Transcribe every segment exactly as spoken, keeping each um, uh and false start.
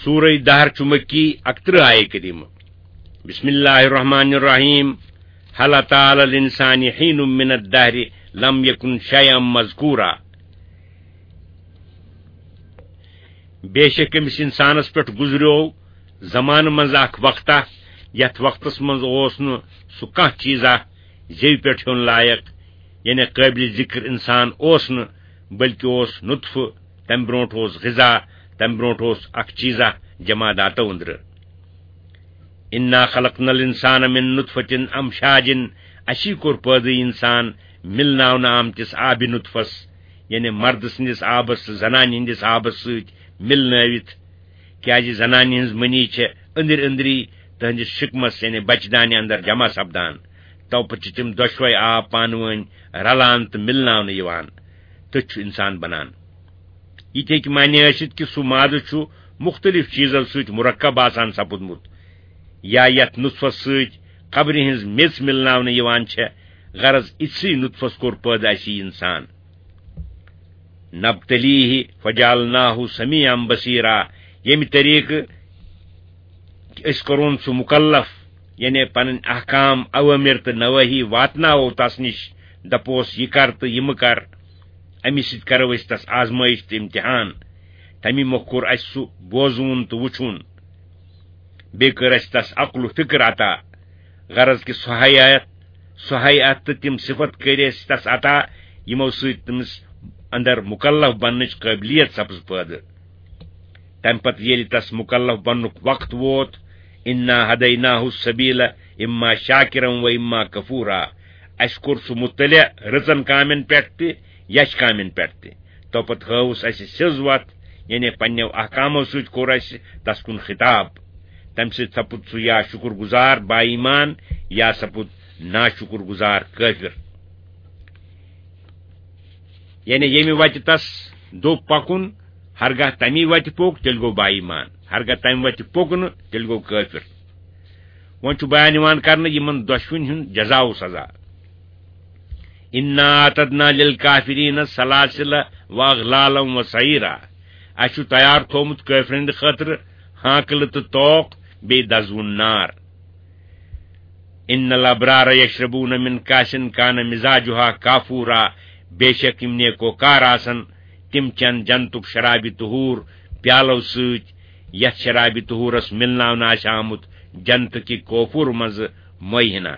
سورہ دہر چھُ مکی، اکترہ آیہ کریمہ۔ بسم اللہ الرحمن الرحیم۔ هل اتى على الانسان حين من الدهر لم يكن شيئا مذكورا۔ بے شک أمِس اِنسانَس پٮ۪ٹھ گُزریو زمانہٕ منٛز اکھ وقتہ، یَتھ وقتَس منٛز اوس نہٕ سُہ کانٛہہ چیٖزا زیوِ پٮ۪ٹھ ہیوٚن لایق، یعنی قٲبلِ ذِکر اِنسان اوس نہٕ، بلکہِ اوس نُطفہٕ، تَمہِ برونٛٹھ اوس غذا، تَمہِ برونٛٹھ اوس اکھ چیٖزا جماداتو أنٛدرٕ۔ انا خلقنا الانسان من نطفة امشاج، اسی کوٚر پٲدٕ اِنسان مِلناونہٕ آمتِس آبِ نُطفس، یعنی مردٕ سٕنٛدِس آبس تہٕ زنانہِ ہٕنٛدِس آبس سۭتۍ مِلنٲوِتھ، کیازِ زنانہِ ہٕنٛز منی چھےٚ أنٛدرۍ أنٛدری تہنٛدِس شِکمس، یعنی بچہٕ دانہِ اندر جمع سپدان۔ تو پتہٕ چھِ تِم دۄشوے آب پانہٕ وٲنۍ رلان تہٕ مِلناونہٕ یِوان، تہٕ چھُ اِنسان بنان۔ یہِ تہِ ہیٚکہِ معنی ٲسِتھ کہِ سُہ مادٕ چھُ مُختٔلِف چیٖزو سۭتۍ مُرکب آسان سپُدمُت، یا یَتھ نُطفس سۭتۍ قبرِ ہٕنٛز میٚژ مِلناونہٕ یِوان چھےٚ، غرض، اِتھسٕے نُطفس کوٚر پٲدٕ اَسہِ یہِ اِنسان۔ نبتلیہ فجعلناہ سمیعا بصیرا، ییٚمہِ طریٖقہٕ أسۍ کوٚرُن سُہ مُکلف، یعنی پنٕنۍ احکام، اوامر تہٕ نوٲہی واتناوو تس نِش، دپوس، یہِ کر تہٕ یہِ مہٕ کر۔ امی سۭتۍ کرو أسۍ تس آزمٲیش تہٕ امتحان۔ تمی مۄکھ کوٚر اسہِ سُہ بوزوُن تہٕ وُچھُن۔ بیٚیہِ کٔر اسہِ تس عقل و فکر عطا۔ غرض کہِ سۄ حیات، سۄ حیات تہٕ تِم صفت کٔرۍ اسہِ تس عطا، یِمو سۭتۍ تٔمِس اندر مُکلف بننٕچ قٲبلیت سپٕز پٲدٕ۔ تمہِ پتہٕ ییٚلہِ تس مُکلف بننُک وقت ووت، انا ہدیناہ السبیل اما شاکرا و اما کفورا۔ اسہِ کوٚر سُہ مطلع رٕژن کامٮ۪ن پٮ۪ٹھ تہِ، یچھ کامٮ۪ن پٮ۪ٹھ تہِ۔ تو پتہٕ ہٲوٕس اسہِ سیٚز وتھ، یعنی پننیو احکامو سۭتۍ کوٚر اسہِ تس کُن خطاب۔ تمہِ سۭتۍ سپُد سُہ یا شُکر گُزار با ایمان، یا سپُد ناشُکر گُزار کٲفِر۔ یعنی ییٚمہِ وتہِ تس دوٚپ پکُن، ہرگاہ تمی وتہِ پوٚک، تیٚلہِ گوٚو با ایمان، ہرگاہ تمہِ وتہِ پوٚک نہٕ، تیٚلہِ گوٚو کٲفِر۔ وۄنۍ چھُ بیان یِوان کرنہٕ یِمن دۄشوٕنۍ ہُنٛد جزا و سزا۔ انا اعتدنا للکافرین سلاسل و اغلالا و سعیرا۔ اسہِ چھُ تیار تھوومُت کٲفرن ہٕنٛدِ خٲطرٕ ہانکلہٕ تہٕ توق، بیٚیہِ دزوُن نار۔ ان الابرار یشربون من کاسن کان مزاجها کافورا۔ بے شک یِم نیکوکار آسن، تِم چٮ۪ن جنتُک شرابِ طہور پیالو سۭتۍ، یتھ شرابِ طہورس مِلناونہٕ آسہِ آمُت جنتہٕ کہِ کوفور منٛزٕ مٔہۍ ہنا۔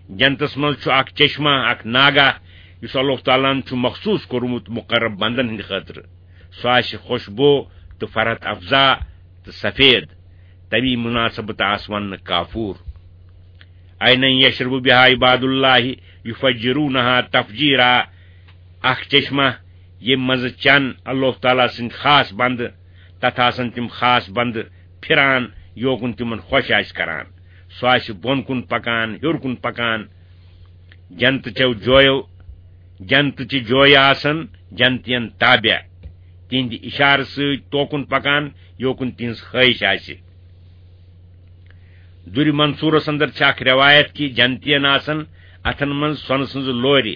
جنتس منٛز چھُ اکھ چشمہ، اکھ ناگہ، یُس اللہ تعالیٰ ہن چھُ مخصوص کوٚرمُت مقرب بندن ہٕنٛدِ خٲطرٕ۔ سُہ آسہِ خوشبو تہٕ فرحت افزا تہٕ سفید۔ تمی مناسبت آس وننہٕ کافور۔ عینا یشرب بها عباد اللہ یفجرونها تفجیرا۔ اکھ چشمہ، ییٚمہِ منٛزٕ چٮ۪ن اللہ تعالیٰ سٕنٛدۍ خاص بندٕ، تتھ آسن تِم خاص بندٕ پھران، یوکُن تِمن خۄش آسہِ کران۔ سُہ آسہِ بۄن کُن پکان، ہیوٚر کُن پکان۔ جنتہٕ چٮ۪و جویو، جنتہٕ چہِ جویہِ آسن جنتین تابع، تِہنٛدِ اشارٕ سۭتۍ توکُن پکان، یوکُن تِہنٛز خٲہِش آسہِ۔ دُرِ منصورس اندر چھِ اکھ روایت کہِ جنتین آسن اتھن منٛز سۄنہٕ سٕنٛزٕ لورِ،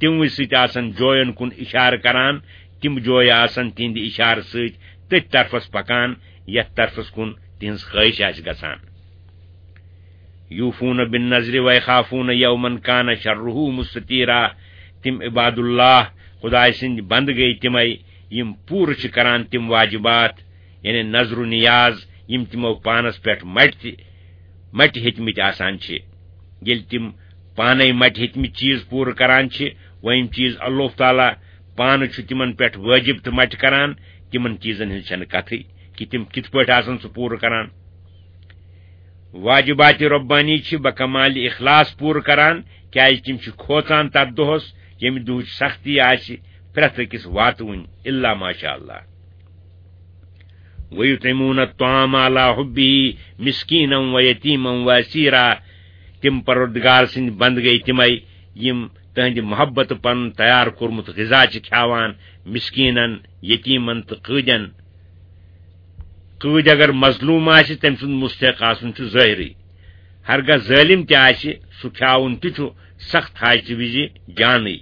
تِموٕے سۭتۍ آسن جوین کُن اشارٕ کران، تِم جویہِ آسن تِہنٛدِ اشارٕ سۭتۍ تٔتھۍ طرفس پکان، یتھ طرفس کُن تِہنٛز خٲہِش آسہِ گژھان۔ یوفون بالنذر ویخافون یوما کان شره مستطیرا۔ تِم عباد اللہ، خدایہِ سٕنٛدۍ بندٕ گٔے تِمے، یِم پوٗرٕ چھِ کران تِم واجبات، یعنی نذر و نیاز، یِم تِمو پانس پٮ۪ٹھ مٹہِ تہِ، مٹہِ ہیٚتمٕتۍ آسان چھِ۔ ییٚلہِ تِم پانے مٹہِ ہیٚتمٕتۍ چیٖز پوٗرٕ کران چھِ، وۄنۍ یِم چیٖز اللہ تعالیٰ پانہٕ چھُ تِمن پٮ۪ٹھ وٲجِب تہٕ مٹہِ کران، تِمن چیٖزن ہٕنٛز چھنہٕ کتھٕے کہِ تِم کِتھ پٲٹھۍ آسن سُہ پوٗرٕ کران۔ واجبات ربانی چھِ بکمال اخلاص پوٗرٕ کران، کیازِ تِم چھِ کھوژان تتھ دۄہس، ییٚمہِ دۄہٕچ سختی آسہِ پرٛٮ۪تھ أکِس واتوٕنۍ، الا ماشاء اللہ۔ ویطعمون الطعام علی حبہ مسکینا و یتیما و اسیرا۔ تِم پروردگار سٕنٛدۍ بندٕ گٔے تِمے، یِم تہنٛدِ محبتہٕ پنُن تیار کوٚرمُت غذا چھِ کھیاوان، مسکینن، یتیمن تہٕ قٲدٮ۪ن۔ قٲدۍ اگر مظلوم آسہِ، تٔمۍ سُنٛد مستحق آسُن چھُ ظٲہرٕے۔ ہرگاہ ظٲلِم تہِ آسہِ، سُہ کھیاوُن تہِ چھُ سخت حاجتہٕ وِزِ جانٕے۔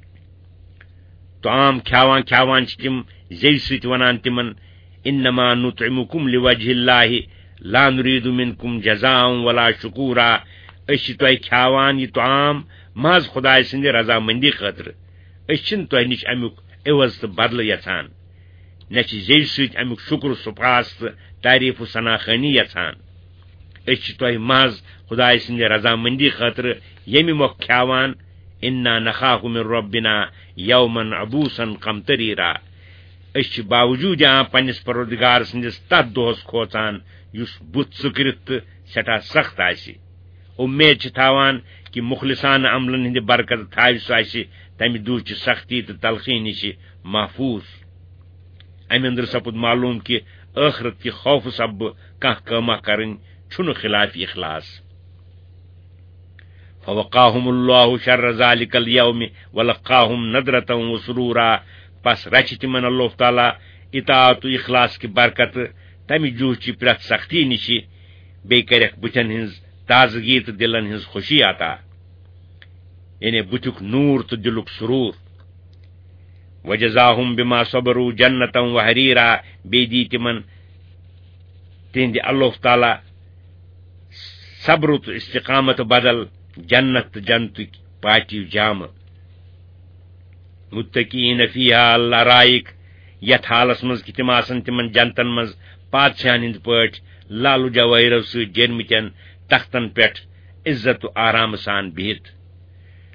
طعام کھیاوان کھیاوان چھِ تِم زیوِ سۭتۍ ونان تِمن، انما نطعمکم لوجہ اللہ لا نرید منکم جزاء ولا شکورا۔ أسۍ چھِ تۄہہِ کھیاوان یہِ طعام محض خدایہِ سٕنٛدِ رضامندی خٲطرٕ۔ أسۍ چھِنہٕ تۄہہِ نِش اَمیُک عوض تہٕ بدلہٕ یژھان، نہ چھِ زیٚوِ سۭتۍ اَمیُک شُکر و سپاس تہٕ تعریف و ثنا خوانی یژھان۔ أسۍ چھِ تۄہہِ محض خدایہِ سٕنٛدِ رضامندی خٲطرٕ ییٚمہِ مۄکھٕ کھیاوان، انا نخاف من ربنا یوما عبوسا قمطریرا۔ أسۍ چھِ باوجوٗد یہِ پننِس پروردگار سٕنٛدِس تتھ دۄہس کھوژان، یُس بُتھ ژٔکرِتھ تہٕ سٮ۪ٹھاہ سخت آسہِ۔ اُمید چھِ تھاوان کہِ مُخلصانہٕ عملن ہٕنٛدِ برکتہٕ تھاوِ سُہ اَسہِ تمہِ دُہچہِ سختی تہٕ تلخی نِش محفوظ۔ امہِ اندرٕ سپُد معلوم کہِ ٲخرت کہِ خوفہٕ سببہٕ کانٛہہ کٲمہ کرٕنۍ چھُنہٕ خلاف اخلاص۔ فوقاهم اللہ شر ذلک الیوم ولقاهم نضرة وسرورا۔ پس رچھِ تِمن اللہ تعالیٰ اطاعت و اخلاص کہِ برکتہٕ تمہِ جوہ چہِ پرٛٮ۪تھ سختی نِشہِ، بیٚیہِ کرٮ۪کھ بُتھٮ۪ن ہٕنٛز تازگی تہٕ دِلن ہٕنٛز خوشی عطا، یعنی بُتھیُک نوٗر تہٕ دِلُک سرور۔ وجزاهم بما صبروا جنة وحريرا، بیٚیہِ دی تِمن تِہنٛدِ اللہ تعالیٰ صبر تہٕ استقامت بدل جنت تہٕ جنتٕکۍ پاٹیو جامہٕ۔ متکئین فیہا علی الارائک، یتھ حالس منٛز کہِ تِم آسن تِمن جنتن منٛز پادشاہن ہٕنٛدۍ پٲٹھۍ لالہٕ جوٲہرو سۭتۍ جیرمٕتٮ۪ن تختن پٮ۪ٹھ عزت و آرامہٕ سان بِہِتھ۔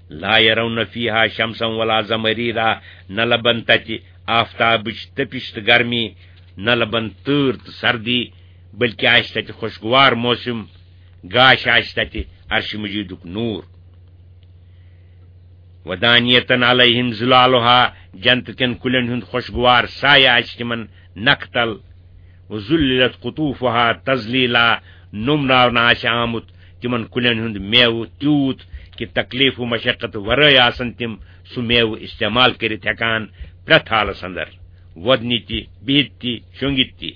لا یرون فیہا شمسا ولا زمہریرا، نہ لبن تتہِ آفتابٕچ تٔپِش تہٕ گرمی، نہ لبن تۭر تہٕ سردی، بلکہ آسہِ تتہِ خوشگوار موسم، گاش آسہِ تتہِ عرش مجیدُک نور۔ ودانیتن علیہم ظلالہا، جنت کٮ۪ن کُلٮ۪ن ہُنٛد خوشگوار سایہ آسہِ تِمن نکھٕ تل۔ وذللت قطوفها تذلیلا، نوٚمناونہٕ آسہِ آمُت تِمن کُلٮ۪ن ہُنٛد میوٕ تیوٗت کہِ تکلیف و مشقت ورٲے آسن تِم سُہ میوٕ استعمال کٔرِتھ ہٮ۪کان پرٛٮ۪تھ حالس اندر، وۄدنہِ تہِ، بِہِتھ تہِ، شۄنٛگِتھ تہِ۔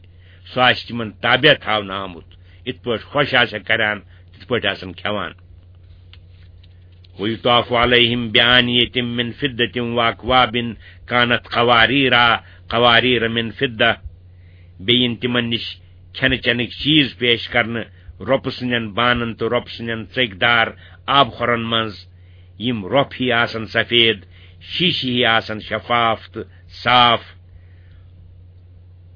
سُہ آسہِ تِمن تابع تھاونہٕ آمُت، یِتھ پٲٹھۍ خۄش آسٮ۪کھ کران، تِتھ پٲٹھۍ آسن کھٮ۪وان۔ وَيُطَافُ عَلَيْهِم بِآنِيَةٍ مِّن فِضَّةٍ وَأَكْوَابٍ كَانَتْ قَوَارِيرَا قَوَارِيرَ مِّن فِضَّةٍ۔ بیٚیہِ یِن تِمن نِش کھٮ۪نہٕ چٮ۪نٕکۍ چیٖز پیش کرنہٕ، رۄپہٕ سٕنٛدٮ۪ن بانن تہٕ رۄپہٕ سٕنٛدٮ۪ن ژٔکۍ دار آبہٕ خۄرن منٛز، یِم رۄپھ ہی آسن سفید، شیٖشہٕ ہی آسن شفاف تہٕ صاف۔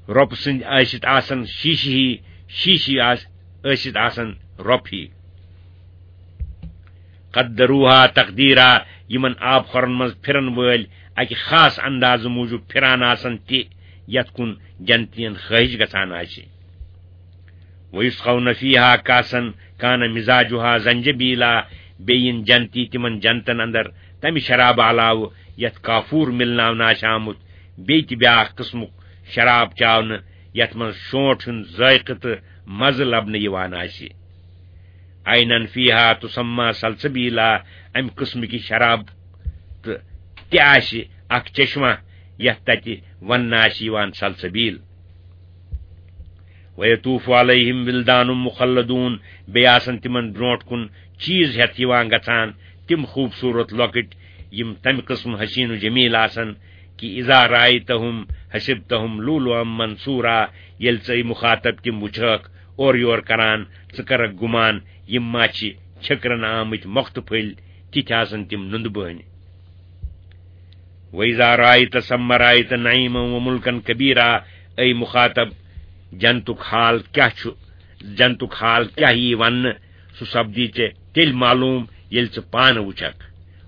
رۄپہٕ سٕنٛدۍ ٲسِتھ آسن شیٖشہٕ ہی، شیٖشہٕ آس-، ٲسِتھ آسن رۄپھ ہی۔ قدروہا تقدیرا، یِمن آب خۄرن منٛز پھرن وٲلۍ اکہِ خاص اندازٕ موٗجوٗب پھران آسن تہِ، یتھ کُن جنتین خٲہِش گژھان آسہِ۔ وَيُسْقَوْنَ فِيهَا كَأْسًا كَانَ مِزَاجُهَا زَنْجَبِيلًا، بیٚیہِ یِن جنتی تِمن جنتن اندر تمہِ شرابہٕ علاوٕ یتھ کافور مِلناونہٕ آسہِ آمُت، بیٚیہِ تہِ بیاکھ قٕسمُک شراب چاونہٕ، یتھ منٛز شونٹھ ہُنٛد ذائقہٕ تہٕ مزٕ لبنہٕ یِوان آسہِ۔ عَيْنًا فِيهَا تُسَمَّىٰ سَلْسَبِيلًا، امہِ قٕسمٕکہِ شراب تہٕ تہِ آسہِ اکھ چشمہ، یتھ تتہِ وننہٕ آسہِ یِوان سلسبیل۔ وَيَطُوفُ عَلَيْهِمْ وِلْدَانٌ مُّخَلَّدُونَ، بیٚیہِ آسن تِمن برونٛٹھ کُن چیٖز ہٮ۪تھ یِوان گژھان، تِم خوٗبصوٗرت لۄکٕٹۍ، یِم تمہِ قٕسمہٕ حسین و جمیل آسن کہِ اِذَا رَأَيْتَهُمْ حَسِبْتَهُمْ لُؤْلُؤًا مَّنثُورًا، ییٚلہِ ژٕ، اے مُخاطب، تِم وٕچھکھ اورٕ یور کران، ژٕ کرکھ گُمان یِم ما چھِ چھٔکرن آمٕتۍ مۄختہٕ پھٔلۍ، تِتھۍ آسن تِم نُندٕ بٲنۍ۔ وَإِذَا رَأَيْتَ ثَمَّ رَأَيْتَ نَعِيمًا وَمُلْكًا كَبِيرًا، اے مُخاطب، جنتُک حال کیٛاہ چھُ، جنتُک حال کیٛاہ یی وننہٕ، سُہ سپدی ژےٚ تیٚلہِ معلوٗم، ییٚلہِ ژٕ پانہٕ وٕچھکھ۔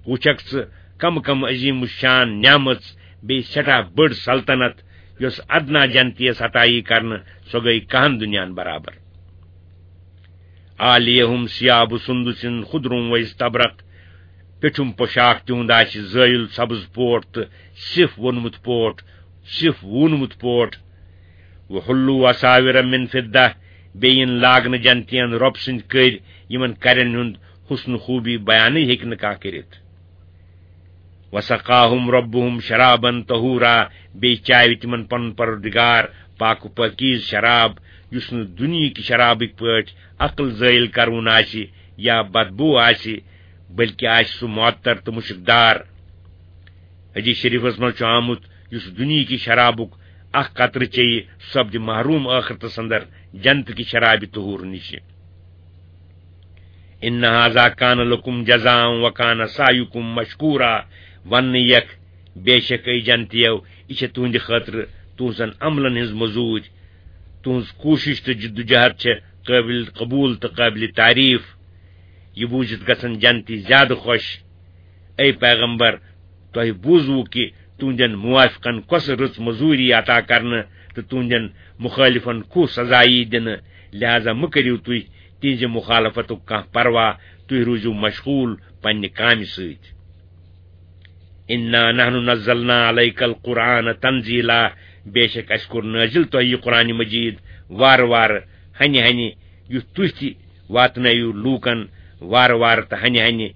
وٕچھکھ ژٕ کم کم عظیم الشان نعمژ، بیٚیہِ سٮ۪ٹھاہ بٔڑ سلطنت، یۄس ادنا جنتیس عطا یی کرنہٕ، سۄ گٔے کہن دُنیاہن برابر۔ عَالِيَهُمْ ثِيَابُ سُنْدُسٍ خُضْرٌ وَإِسْتَبْرَقٌ، پیٚٹھِم پوشاک تِہُنٛد آسہِ زٲیُل سبز پوٹ تہٕ سِف وونمُت پوٹ، سِف وونمُت پوٹ۔ وَحُلُّوا أَسَاوِرَ مِنْ فِضَّةٍ، بیٚیہِ یِن لاگنہٕ جنتین رۄب سٕنٛدۍ کٔرۍ، یِمن کرٮ۪ن ہُنٛد حُسن خوٗبی بیانٕے ہیٚکہِ نہٕ کانٛہہ کٔرِتھ۔ وَسَقَاهُمْ رَبُّهُمْ شَرَابًا طَهُورًا، بیٚیہِ چاوِ تِمن پنُن پروردگار پاک و پاکیز شراب، یُس نہٕ دُنیہٕکہِ شرابٕکۍ پٲٹھۍ عقل زٲیِل کرُن آسہِ یا بدبو آسہِ، بلکہِ آسہِ سُہ معطر تہٕ مُشکدار۔ حدیث شریفس منٛز چھُ آمُت، یُس دُنیہٕکہِ شرابُک اکھ قطرٕ چیٚیہِ، سُہ سپدِ محروم ٲخرتس اندر جنت کہِ شرابِ طہور نِشہِ۔ ان ھذا کان لکم جزاء وکان سعیکم مشکورا۔ وننہٕ یکھ، بے شک اے جنتیو، یہِ چھےٚ تُہنٛدِ خٲطرٕ تُہنٛزن عملن ہٕنٛز مٔزوٗرۍ۔ تُہنٛز کوٗشش تہٕ جدوجہد چھےٚ قٲبل قبول تہٕ قٲبل تعریف۔ یہِ بوٗزِتھ گژھن جنتی زیادٕ خۄش۔ اے پیغمبر، تۄہہِ بوٗزوٕ کہِ تُہنٛدٮ۪ن موافقن کۄسہٕ رٕژ مٔزوٗری عطا کرنہٕ تہٕ تُہنٛدٮ۪ن مُخٲلفن کُس سزا یی دِنہٕ، لہذا مہٕ کٔرِو تُہۍ تِہنٛزِ مُخالفتُک کانٛہہ پرواہ، تُہۍ روٗزِو مشغوٗل پننہِ کامہِ سۭتۍ۔ انا نحن نزلنا علیک القرآن تنزیلا، بے شک اسہِ کوٚر نٲزِل تۄہہِ یہِ قرآن مجید وارٕ وارٕ، ہنہِ ہنہِ، یُتھ تُہۍ تہِ واتنٲیِو لوٗکن وارٕ وارٕ تہٕ ہنہِ ہنہِ،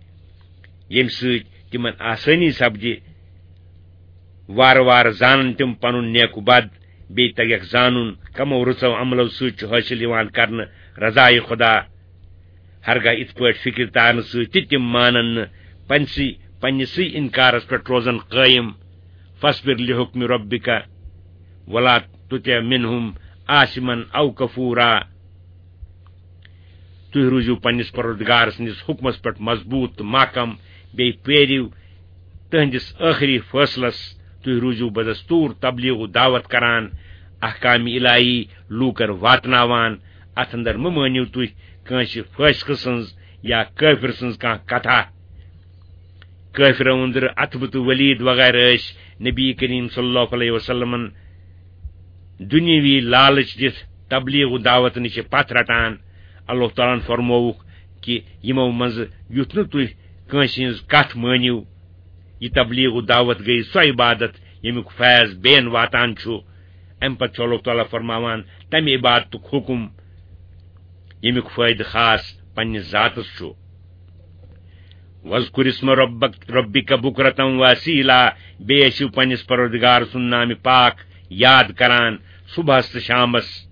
ییٚمہِ سۭتۍ تِمن آسٲنی سپدِ۔ وارٕ وارٕ زانن تِم پنُن نیک و بد، بیٚیہِ تگیکھ زانُن کمو رٕژو عملو سۭتۍ چھُ حٲصِل یِوان کرنہٕ رضایہِ خدا۔ ہرگاہ یِتھ پٲٹھۍ فکرِ تارنہٕ سۭتۍ تہِ تِم مانن نہٕ، پنسٕے، پننِسٕے انکارس پٮ۪ٹھ روزن قٲیِم۔ فاصبر لحکم ربک ولا تطع منهم آثما او کفورا۔ تُہۍ روٗزِو پننِس پروردگار سٕنٛدِس حُکمس پٮ۪ٹھ مضبوٗط تہٕ محکم، بیٚیہِ پیٲرِو تٕہنٛدِس ٲخری فٲصلس۔ تُہۍ روٗزِو بدستوٗر تبلیغ و دعوت کران، احکام الٰہی لوٗکن واتناوان۔ اتھ اندر مہٕ مٲنِو تُہۍ کٲنٛسہِ فٲسقہٕ سٕنٛز یا کٲفِر سٕنٛز کانٛہہ کتھا۔ کٲفرو أنٛدرٕ عتبہٕ تہٕ ولید وغیرہ ٲسۍ نبی کریم صلی اللہ علیہ وسلمن دُنیاوی لالچ دِتھ تبلیغ و دعوت نِش پتھ رٹان۔ اللہ تعالیٰ ہن فرمووُکھ کہِ یِمو منٛزٕ یُتھ نہٕ تُہۍ کٲنٛسہِ ہٕنٛز کتھ مٲنِو۔ یہِ تبلیغ و دعوت گٔیہِ سۄ عبادت ییٚمیُک فیض بیٚین واتان چھُ۔ امہِ پتہٕ چھُ اللہ تعالیٰ فرماوان تمہِ عبادتُک حُکم ییٚمیُک فٲیدٕ خاص پننِس ذاتس چھُ۔ وَاذْكُرِ اسْمَ رَبَّكَ، رَبِّكَ بُكْرَةً وَأَصِيلًا، بیٚیہِ ٲسِو پننِس پروردگار سُنٛد نامِ پاک یاد کران صبحس تہٕ شامس۔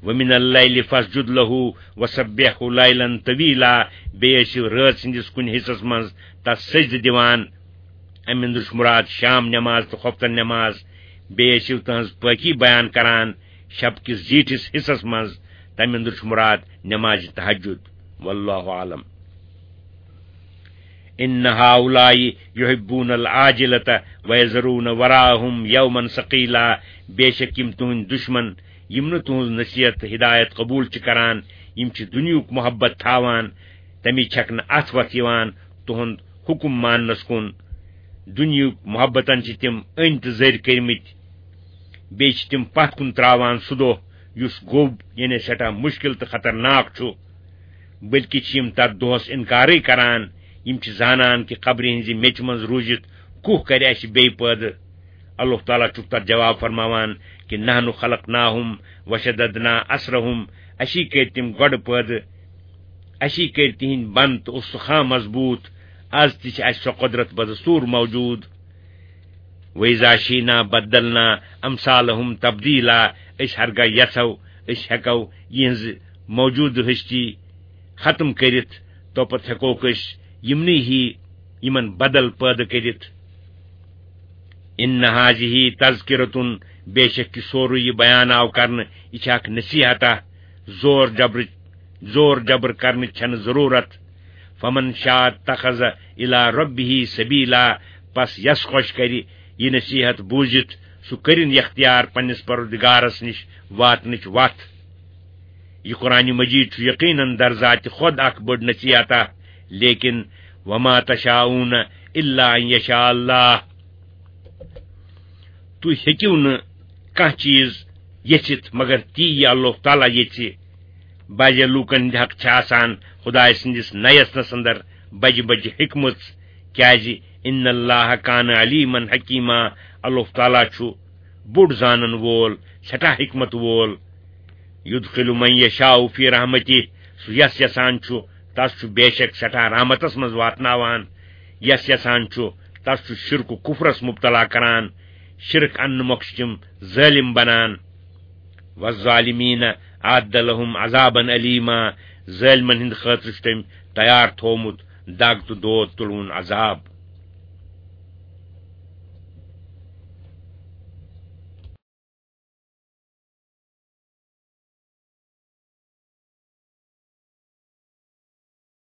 وَمِنَ اللَّيْلِ فَاسْجُدْ لَهُ وَسَبِّحْهُ لَيْلًا طَوِيلًا، بیٚیہِ ٲسِو رٲژ ہٕنٛدِس کُنہِ حصس منٛز تس سجدٕ دِوان۔ اَمہِ اندرٕ چھُ مُراد شام نٮ۪ماز تہٕ خۄفتن نٮ۪ماز۔ بیٚیہِ ٲسِو تٕہٕنٛز پٲکی بیان کران شب کِس زیٖٹھِس حصس منٛز۔ تَمہِ اندرٕ چھُ مُراد نٮ۪مازِ تہجد۔ واللہ اعلم۔ ان هؤلاء يحبون العاجلة ويذرون وراءهم يوما ثقيلا، بے شک یِم تُہٕنٛدۍ دُشمن، یِم نہٕ تُہٕنٛز نصیحت تہٕ ہدایت قبول چھِ کران، یِم چھِ دُنیہُک محبت تھاوان، تَمِچ چھَکھ نہٕ اَتھ وَتھ یِوان تُہُنٛد حُکُم ماننَس کُن۔ دُنیہُک محبتن چھِ تِم أنۍ تہٕ زٔرۍ کٔرمٕتۍ۔ بیٚیہِ چھِ تِم پتھ کُن تراوان سُہ دۄہ یُس گوٚب، یعنی سٮ۪ٹھاہ مُشکِل تہٕ خطرناک چھُ۔ بلکہِ چھِ یِم تتھ دۄہس انکارٕے کران۔ یِم چھِ زانان کہِ قبرِ ہٕنزِ میژِ منٛز روٗزِتھ کُہ کرِ اسہِ بیٚیہِ پٲدٕ۔ اللہ تعالیٰ چھُکھ تتھ جواب فرماوان کہِ نحن خلقناهم وشددنا اسرهم، اسی کٔرۍ تِم گۄڈٕ پٲدٕ، اسی کٔرۍ تِہنٛدۍ بند تہٕ استخوان مضبوٗط۔ از تہِ چھِ اسہِ سۄ قۄدرت بدستور موجود۔ وَإِذَا شِئْنَا بَدَّلْنَا أَمْثَالَهُمْ تَبْدِيلًا، أسۍ ہرگاہ یژھو، أسۍ ہیٚکو یِہٕنٛز موجودٕ ہستی ختم کٔرِتھ، توپتہٕ ہیٚکوکھ أسۍ یِمنٕے ہی یِمن بدل پٲدٕ کٔرِتھ۔ إِنَّ هَٰذِهِ تَذْكِرَةٌ، بے شک یہِ سورُے یہِ بیان آو کرنہٕ، یہِ چھِ اکھ نصیحتہ، زور جبرٕچ زور جبر کرنٕچ چھنہٕ ضرورت۔ فمن شاء اتخذ الی ربہ سبیلا، پس یس خۄش کرِ یہِ نصیحت بوٗزِتھ، سُہ کٔرِن اختیار پننِس پروردگارس نِش واتنٕچ وتھ۔ یہِ قرآن مجید چھُ یقیناً در ذاتِ خۄد اکھ بٔڑ نصیحتہ، لیکن وما تشاءون الا ان یشاء اللہ، تُہۍ ہیٚکِو نہٕ کانٛہہ چیٖز ییٚژھِتھ مگر تی یہِ اللہ تعالیٰ ییٚژھِ۔ بعضے لوٗکن ہٕنٛدِ حق چھِ آسان خدایہِ سٕنٛدِس نَیَس نَس اندر بجہِ بجہِ حکمژ، کیازِ ان اللہ کان علیما حکیما، اللہ تعالیٰ چھُ بوٚڑ زانن وول، سٮ۪ٹھاہ حکمت وول۔ یدخل من یشاء فی رحمتہ، سُہ یس یژھان چھُ، تس چھُ بے شک سٮ۪ٹھاہ رحمتس منٛز واتناوان۔ یس یژھان چھُ، تس چھُ شرک و کفرس مبتلا کران۔ شرک اننہٕ مۄکھٕ چھِ تِم ظٲلم بنان۔ والظالمین اعد لهم عذابا الیما، ظٲلمن ہٕنٛدِ خٲطرٕ چھُ تٔمۍ تیار تھوومُت دگ تہٕ دود تُلوُن عذاب۔